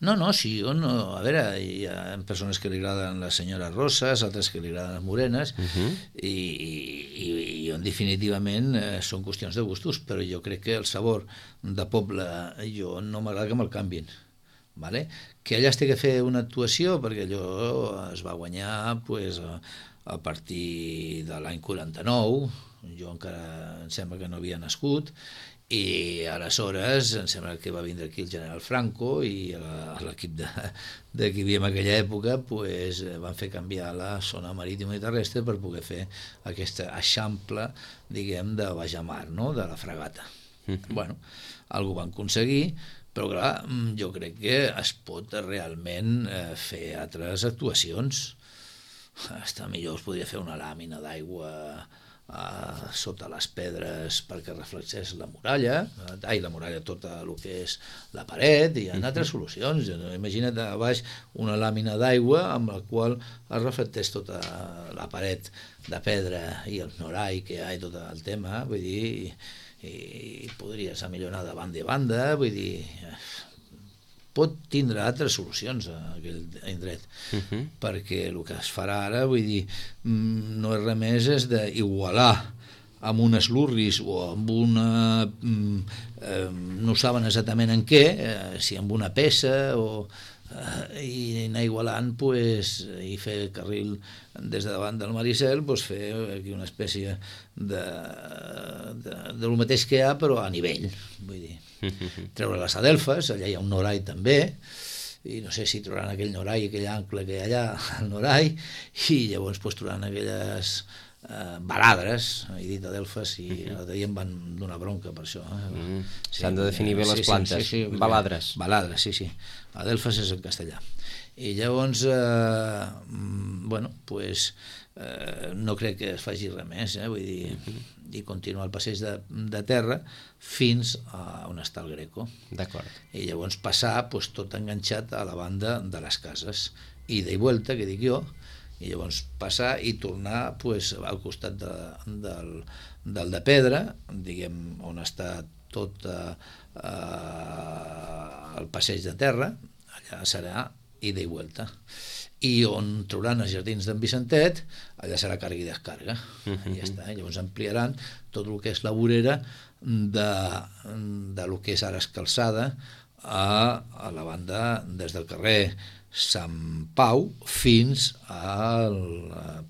No, no, sí, jo no... A veure, hi ha persones que li agraden les senyores rosses, altres que li agraden les morenes, uh -huh. i, i, i definitivament eh, són qüestions de gustos, però jo crec que el sabor de poble, jo no m'agrada que me'l canvin. Vale? Que allà es té que fer una actuació, perquè allò es va guanyar pues, a, a partir de l'any quaranta-nou, jo encara em sembla que no havia nascut, i aleshores em sembla que va vindre aquí el general Franco i l'equip de, de qui hi havia en aquella època pues, van fer canviar la zona marítima i terrestre per poder fer aquesta eixample, diguem, de bajamar, no?, de la fragata. Mm-hmm. Bueno, algú van aconseguir, però clar, jo crec que es pot realment eh, fer altres actuacions. Està millor, es podria fer una làmina d'aigua Uh, sota les pedres perquè reflexés la muralla, ai, la muralla, tot el que és la paret, i hi ha altres solucions. Imagina't a baix una làmina d'aigua amb la qual es reflectés tota la paret de pedra i el norai que hi ha i tot el tema, vull dir, i, i podries millorar de banda i banda, vull dir, pot tindre altres solucions a aquell indret, uh-huh. perquè el que es farà ara, vull dir, no és res més és d'igualar amb unes lurris o amb una... Eh, no saben exactament en què, eh, si amb una peça o... Eh, i anar igualant pues, i fer carril des de davant del Maricel, pues, fer aquí una espècie de, de, de lo mateix que hi ha però a nivell, vull dir, treure les adelfes, allà hi ha un norai també, i no sé si trobaran aquell norai, aquell ancle que hi ha allà, el norai, i llavors pues, trobaran aquelles eh, baladres, he dit adelfes, i uh-huh. l'altre dia em van donar bronca per això. Eh? Uh-huh. Sí, s'han de definir bé les sí, plantes, sí, sí, sí, baladres. Baladres, sí, sí. Adelfes és en castellà. I llavors, eh, bueno, pues, eh, no crec que es faci res més, eh? Vull dir, uh-huh. i continuar el passeig de, de terra fins a on està el Greco. D'acord. I llavors passar pues, tot enganxat a la banda de les cases. Ida i vuelta, que dic jo, i llavors passar i tornar pues, al costat de, del, del de pedra, diguem, on està tot eh, eh, el passeig de terra, allà serà ida i vuelta. I on trobaran els jardins d'en Vicentet, allà serà càrrega i descàrrega. Uh-huh. Ja està. Llavors ampliaran tot el que és la vorera de, de lo que és ara escalçada a, a la banda des del carrer Sant Pau fins al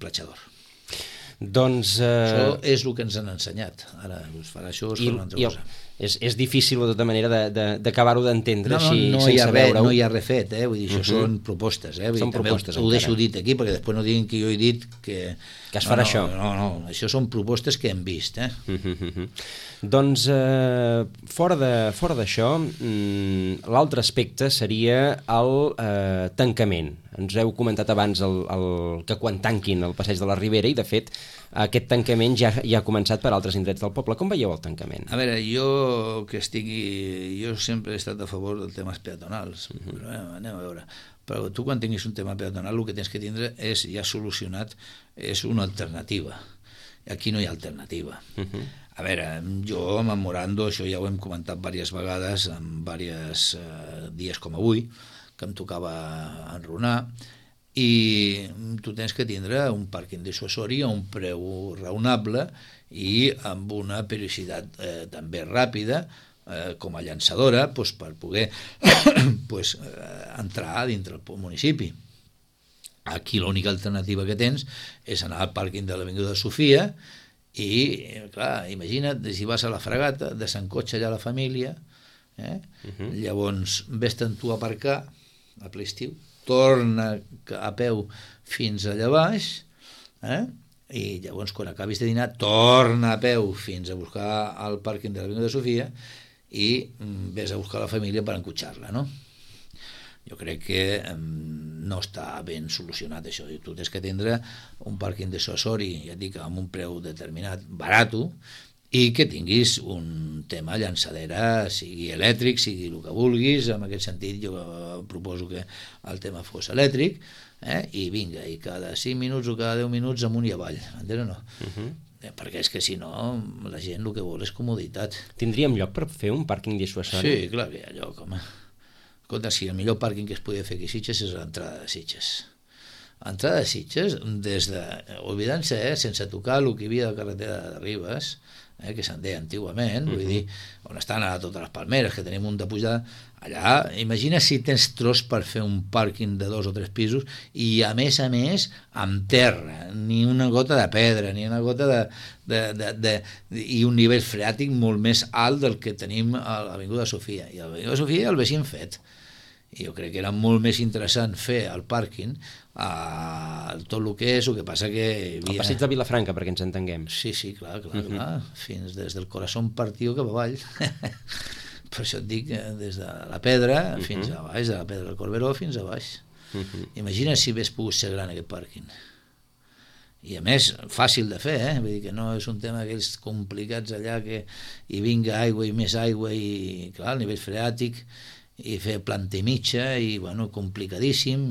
Platja d'Or. Doncs... Eh... Això és el que ens han ensenyat. Ara us farà això, us farà una altra I, cosa. És, és difícil, de tota manera, d'acabar-ho de, de, d'entendre no, no, així, no sense veure-ho. No hi ha res fet, eh? Vull dir, això uh-huh. són propostes. Eh? Vull Són dir, propostes, ho, ho deixo dit aquí, perquè després no diguin que jo he dit que... Que es farà no, no, això. No, no, això són propostes que hem vist. Eh? Uh-huh. Doncs, eh, fora d'això, mm, l'altre aspecte seria el eh, tancament. Ens heu comentat abans el, el, que quan tanquin el passeig de la Ribera, i de fet aquest tancament ja, ja ha començat per altres indrets del poble. Com veieu el tancament? A veure, jo que estigui... Jo sempre he estat a favor dels temes peatonals, uh-huh. però eh, anem a veure. Però tu quan tinguis un tema peatonal el que tens que tindre és, ja solucionat, és una alternativa. Aquí no hi ha alternativa. Uh-huh. A veure, jo amb en Morando, això ja ho hem comentat diverses vegades, en diversos eh, dies com avui, que em tocava enrunar, i tu tens que tindre un pàrquing dissuasori a un preu raonable i amb una periodicitat eh, també ràpida, eh, com a llançadora, pues, per poder pues, eh, entrar dintre el municipi. Aquí l'única alternativa que tens és anar al pàrquing de l'Avinguda Sofia i, clar, imagina't, si vas a la Fragata, desencotxa allà la família, eh? Uh-huh. Llavors ves-te'n tu a aparcar a ple estiu, torna a peu fins allà baix, eh? I llavors quan acabis de dinar torna a peu fins a buscar el pàrquing de l'Avinguda Sofia i ves a buscar la família per encotxar-la, no? Jo crec que um, no està ben solucionat això. Tu tens que tindre un pàrquing dissuasori, ja et dic, amb un preu determinat, barato, i que tinguis un tema llançadera, sigui elèctric, sigui el que vulguis. En aquest sentit jo proposo que el tema fos elèctric, eh? I vinga, i cada cinc minuts o cada deu minuts amunt i avall, entens o no? Uh-huh. Eh, perquè és que si no la gent el que vol és comoditat. Tindríem lloc per fer un pàrquing dissuasori? Sí, clar que hi ha lloc, home. Escolta, si el millor pàrquing que es podia fer aquí a Sitges és l'entrada de Sitges. L'entrada de Sitges, des de, oblidant-se, eh, sense tocar el que hi havia de carretera de Ribes, eh, que se'n deia antigament, uh-huh. vull dir, on estan ara totes les palmeres, que tenim un de pujada, allà, imagina si tens tros per fer un pàrquing de dos o tres pisos i, a més a més, amb terra, ni una gota de pedra, ni una gota de... de, de, de i un nivell freàtic molt més alt del que tenim a l'Avinguda Sofia. I a l'Avinguda Sofia el veixin fet. I jo crec que era molt més interessant fer el pàrquing a tot el que és, el que passa que... Havia... El passeig de Vilafranca, perquè ens entenguem. Sí, sí, clar, clar, uh-huh. clar. Fins des del Corazón Partió cap avall. Per això et dic, des de la Pedra uh-huh. fins a baix, de la Pedra del Corberó fins a baix. Uh-huh. Imagina si hagués pogut ser gran aquest pàrquing. I a més, fàcil de fer, eh? Vull dir que no és un tema aquells complicats allà que hi vinga aigua i més aigua i, clar, el nivell freàtic, i fer planta i mitja, i, bueno, complicadíssim,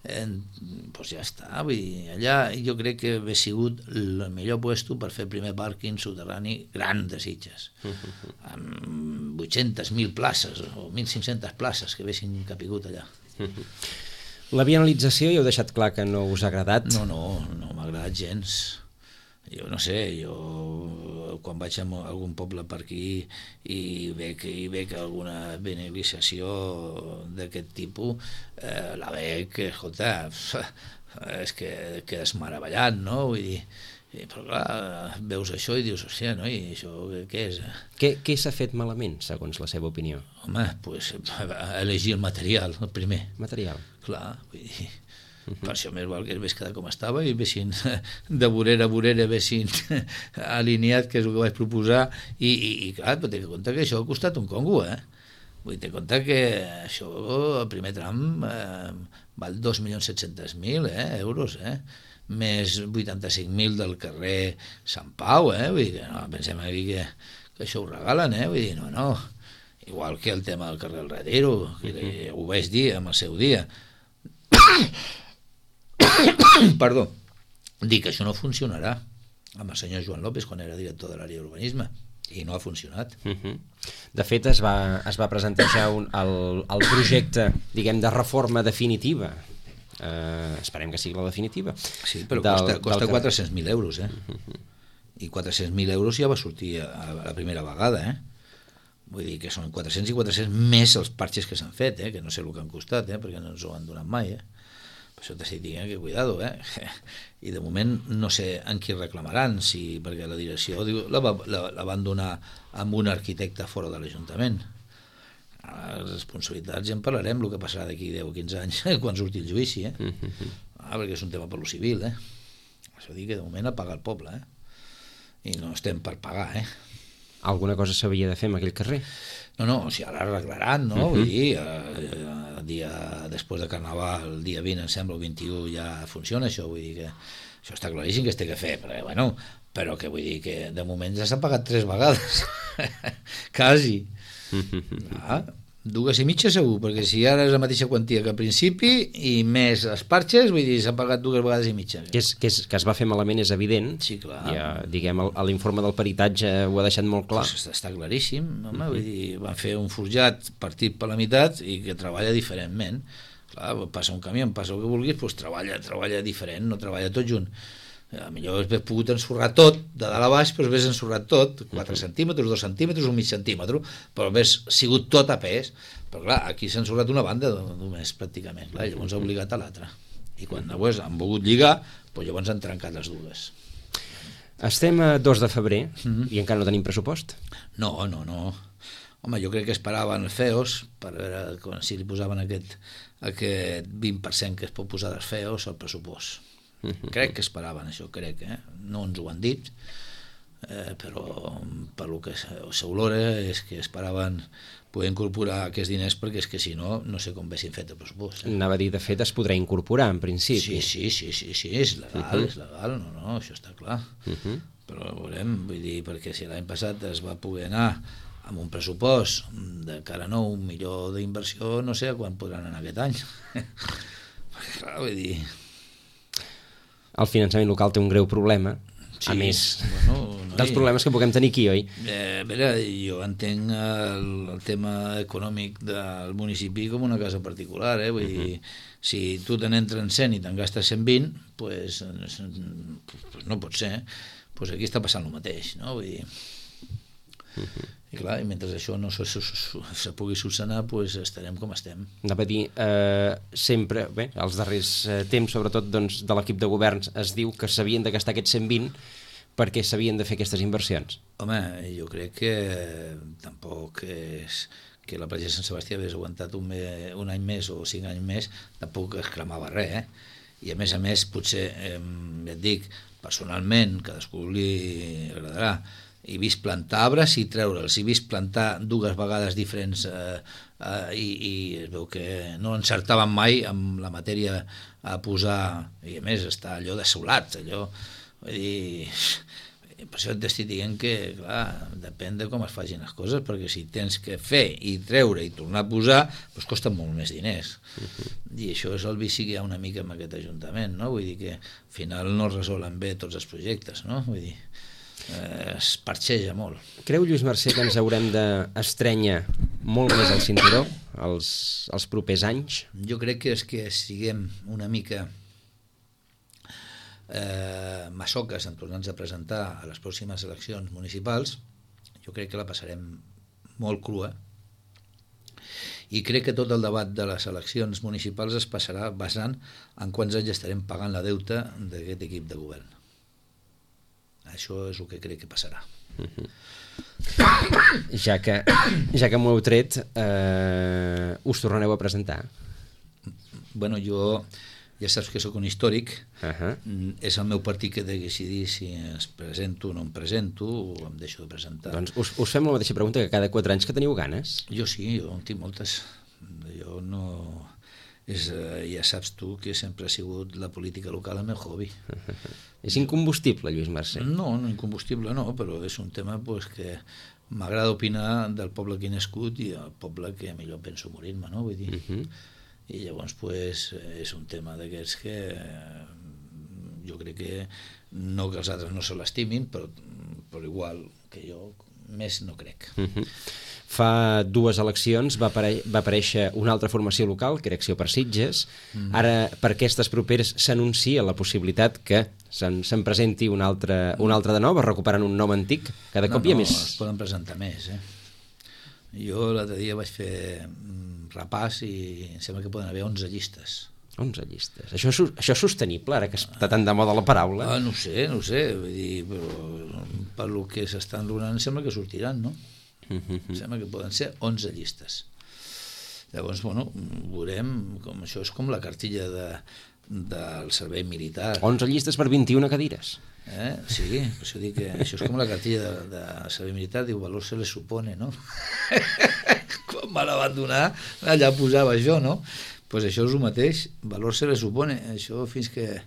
eh, doncs ja està, vull dir, allà jo crec que hauria sigut el millor puesto per fer el primer pàrquing soterrani gran de Sitges, uh-huh. amb vuit-centes mil places o mil cinc-centes places que haguessin capigut allà. Uh-huh. La vianalització ja heu deixat clar que no us ha agradat? No, no, no m'ha agradat gens. Jo no sé, jo quan vaig a algun poble per aquí i veig, i veig alguna beneficiació d'aquest tipus, eh, la veig, escolta, és que quedes meravellat, no? Vull dir, però clar, veus això i dius, hòstia, no? I això què és? Què, què s'ha fet malament, segons la seva opinió? Home, doncs elegir el material, el primer. Material? Clar, vull dir... Uh-huh. Per això més val que es vés quedar com estava i vessin de vorera a vorera vessin alineat, que és el que vaig proposar, i, i, i clar, però té que compte que això ha costat un congo, eh? Vull dir, té compte que això, el primer tram eh, val dos milions set-cents mil eh, euros, eh? Més vuitanta-cinc mil del carrer Sant Pau, eh? Vull dir que no, pensem aquí que, que això ho regalen, eh? Vull dir, no, no, igual que el tema del carrer del Retiro, que uh-huh. ho vaig dir en el seu dia. Perdó, dic que això no funcionarà amb el senyor Joan López quan era director de l'àrea d'urbanisme i no ha funcionat. Uh-huh. De fet es va, es va presentar ja un, el, el projecte, diguem, de reforma definitiva, eh, esperem que sigui la definitiva. Sí, però del, costa, costa quatre-cents mil euros, eh? Uh-huh. I quatre-cents mil euros ja va sortir a, a la primera vegada, eh? Vull dir que són quatre-cents i quatre-cents més els parxes que s'han fet, eh? Que no sé el que han costat, eh? Perquè no ens ho han donat mai, eh? Per això t'estic dient que cuidado, eh? I de moment no sé en qui reclamaran, si, perquè la direcció diu, la, va, la, la van donar amb un arquitecte fora de l'Ajuntament. Les responsabilitats ja en parlarem, el que passarà d'aquí deu o quinze anys quan surti el judici, eh? Ah, perquè és un tema per lo civil, eh? Això dir que de moment ha pagat el poble, eh? I no estem per pagar, eh? Alguna cosa s'havia de fer en aquell carrer? No, no, o sigui, ara arreglaran, no? Uh -huh. Vull dir, eh, el dia, després de Carnaval, el dia vint, em sembla, el vint-i-u, ja funciona això, vull dir que això està claríssim que es té que fer, però, bueno, però que vull dir que de moment ja s'ha pagat tres vegades, quasi. Ah, dues i mitja segur, perquè si ara és la mateixa quantia que al principi i més els parxes, vull dir, s'ha pagat dues vegades i mitja. Que, és, que, és, que es va fer malament és evident. Sí, clar. Ja, diguem, l'informe del peritatge ho ha deixat molt clar. Pues està claríssim, home, uh -huh. Vull dir, van fer un forjat partit per la meitat i que treballa diferentment. Clar, passa un camió, passa el que vulguis, doncs treballa, treballa diferent, no treballa tot junt. A millor has pogut ensorrar tot, de dalt a baix, però has ensorrat tot, quatre centímetres, dos centímetres, un mig centímetre, però has sigut tot a pes. Però clar, aquí s'ha ensorrat una banda només, pràcticament, clar, llavors ha obligat a l'altra. I quan llavors han volgut lligar, doncs llavors han trencat les dues. Estem a dos de febrer mm-hmm. i encara no tenim pressupost? No, no, no. Home, jo crec que esperaven els F E Os, per veure si li posaven aquest, aquest vint per cent que es pot posar dels F E Os al pressupost. Crec que esperaven això, crec, eh? No ens ho han dit, eh, però per lo que s'olora és que esperaven poder incorporar aquests diners, perquè és que si no, no sé com haguessin fet el pressupost. Eh? Anava a dir, de fet, es podrà incorporar, en principi. Sí, sí, sí, sí, sí és legal, uh-huh. és legal, no, no, això està clar. Uh-huh. Però veurem, vull dir, perquè si l'any passat es va poder anar amb un pressupost de cara nou, un milió d'inversió, no sé a quan podran anar aquest any. Perquè clar, vull dir... El finançament local té un greu problema, sí, a més bueno, no dels problemes que puguem tenir aquí, oi? Eh, a veure, jo entenc el, el tema econòmic del municipi com una casa particular, eh? Vull dir, uh-huh. si tu te n'entren cent i te'n gastes cent vint, pues, pues no pot ser, pues aquí està passant el mateix, no? Vull dir... Uh-huh. I clar, i mentre això no se, se, se pugui solucionar, pues estarem com estem. Anava a dir, eh, sempre, bé, als darrers eh, temps, sobretot doncs, de l'equip de governs, es diu que s'havien de gastar aquests cent vint perquè s'havien de fer aquestes inversions. Home, jo crec que tampoc és que la platja de Sant Sebastià hagués aguantat un, me, un any més o cinc anys més, tampoc es cremava res, eh? I a més a més, potser, eh, ja et dic, personalment, cadascú li agradarà, he vist plantar arbres i treure'ls, he vist plantar dues vegades diferents eh, eh, i, i es veu que no encertaven mai amb la matèria a posar, i a més està allò desolat, allò, vull dir, per això t'estic dient que, clar, depèn de com es facin les coses, perquè si tens que fer i treure i tornar a posar, doncs costen molt més diners. Uh-huh. I això és el vici que hi ha una mica amb aquest Ajuntament, no? Vull dir que al final no resolen bé tots els projectes, no? Vull dir, Eh, es parxeja molt. Creu, Lluís Mercè, que ens haurem d'estrènyer molt més al cinturó els, els propers anys? Jo crec que és que siguem una mica eh, masoques en tornar-nos a presentar a les pròximes eleccions municipals. Jo crec que la passarem molt crua i crec que tot el debat de les eleccions municipals es passarà basant en quants anys estarem pagant la deuta d'aquest equip de govern. Això és el que crec que passarà. Uh-huh. Ja que, ja que m'ho heu tret, eh, us tornareu a presentar? Bueno, jo ja saps que sóc un històric, uh-huh. és el meu partit que he de decidir si es presento o no em presento o em deixo de presentar. Doncs us, us fem la mateixa pregunta que cada quatre anys, que teniu ganes? Jo sí, jo en tinc moltes. Jo no... És, ja saps tu que sempre ha sigut la política local el meu hobby. És incombustible, Lluís Mercè? No, no incombustible no, però és un tema pues, que m'agrada opinar del poble que he nascut i el poble que millor penso morir-me, no? Vull dir. Uh-huh. I llavors pues, és un tema d'aquests que jo crec que no que els altres no se l'estimin, però, però igual que jo més no crec. Uh-huh. Fa dues eleccions va, apare va aparèixer una altra formació local, que era Acció per Sitges. Mm. Ara, per aquestes properes, s'anuncia la possibilitat que se'n se presenti una altra, una altra de nova, recuperant un nom antic. Cada no, cop hi ha no, més... es poden presentar més. Eh? Jo l'altre dia vaig fer repàs i em sembla que poden haver onze llistes. onze llistes. Això, això és sostenible, ara que està tan de moda la paraula? Ah, no sé, no sé. Vull dir, però per lo que s'estan donant sembla que sortiran, no? Mm-hmm. Sembla que poden ser onze llistes. Llavors, bueno, veurem com això és com la cartilla de, del servei militar. onze llistes per vint-i-una cadires. Eh? Sí, per això dic que això és com la cartilla de, de servei militar, diu, valor se le supone, no? Quan me la van donar, allà posava això, no? Pues això és el mateix, valor se le supone, això fins que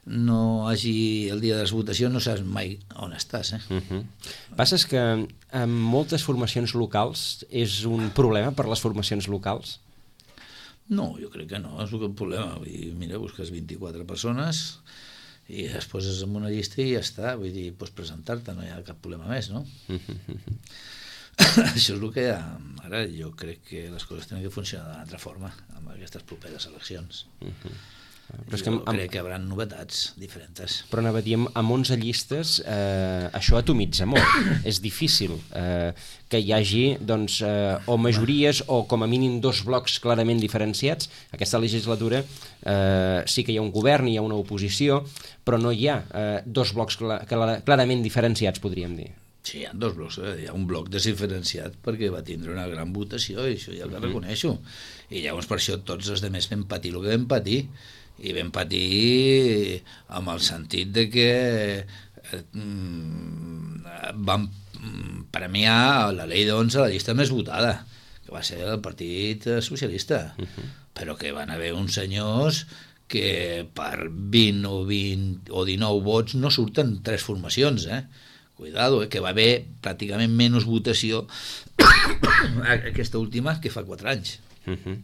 no hagi el dia de les votacions no saps mai on estàs. Eh? Uh-huh. Passa que en moltes formacions locals és un problema per les formacions locals? No, jo crec que no, és un problema. Vull dir, mira, busques vint-i-quatre persones i es poses en una llista i ja està, vull dir, pots presentar-te, no hi ha cap problema més, no? Uh-huh. Això és el que hi ha. Ara jo crec que les coses tenen que funcionar d'una altra forma amb aquestes properes eleccions. Uh-huh. Però és que jo amb... crec que hi haurà novetats diferents. Però anava a dir, amb onze llistes eh, això atomitza molt. És difícil eh, que hi hagi doncs, eh, o majories o com a mínim dos blocs clarament diferenciats. Aquesta legislatura eh, sí que hi ha un govern, hi ha una oposició, però no hi ha eh, dos blocs cl- cl- clarament diferenciats, podríem dir. Sí, hi ha dos blocs, eh? Hi ha un bloc desdiferenciat perquè va tindre una gran votació i això ja el reconeixo. I llavors per això tots els altres vam patir el que vam patir, i vam patir amb el sentit de que eh, vam premiar la llei d'onze, la llista més votada, que va ser el Partit Socialista, uh-huh. Però que van haver uns senyors que per vint o, vint o dinou vots no surten tres formacions, eh? Cuidado, eh, que va haver pràcticament menys votació aquesta última que fa quatre anys. Uh-huh.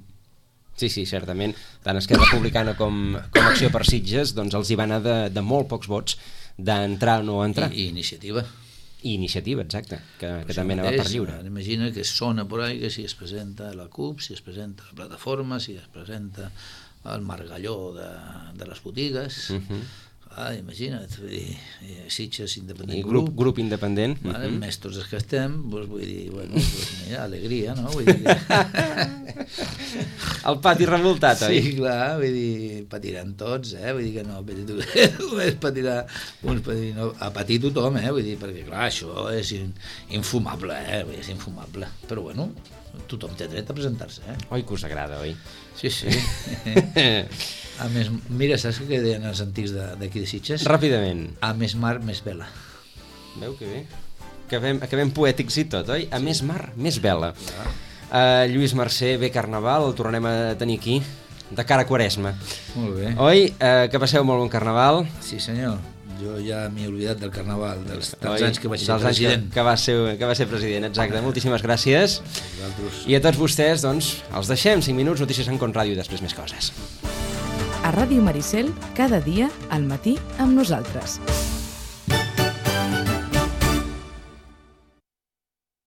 Sí, sí, certament. Tant Esquerra Republicana com, com Acció per Sitges doncs els hi va anar de, de molt pocs vots d'entrar o no entrar. I, i iniciativa. I iniciativa, exacte, que, que també anava per lliure. Imagina que sona por ahí que si es presenta la C U P, si es presenta la plataforma, si es presenta el margalló de, de les botigues... Uh-huh. Ah, imagina't, vull dir, Sitges independent I grup, grup independent. Vale, uh-huh. Més tots els que estem, doncs vull dir, bueno, doncs mira, alegria, no? Vull dir que... El pati revoltat, oi? Sí, clar, vull dir, patiran tots, eh? Vull dir que no, només patirà uns patir, no, a patir tothom, eh? Vull dir, perquè clar, això és in, infumable, eh? Vull dir, és infumable, però bueno, tothom té dret a presentar-se, eh? Oi que us agrada, oi? Sí, sí. A més, mira, saps què deien els antics d'aquí de, de Sitges? Ràpidament. A més mar, més vela. Veu que bé. Acabem, acabem poètics i tot, oi? A sí. Més mar, més vela. Uh, Lluís Mercè, bé Carnaval, el tornarem a tenir aquí, de cara a Quaresma. Molt bé. Oi? Uh, que passeu molt bon Carnaval. Sí, senyor. Jo ja m'he oblidat del Carnaval, dels, dels anys que vaig ser president. Que, que, va ser, que va ser president, exacte. Moltíssimes gràcies. I a tots vostès, doncs, els deixem. cinc minuts, notícies en Con Ràdio i després més coses. A Ràdio Maricel, cada dia, al matí, amb nosaltres.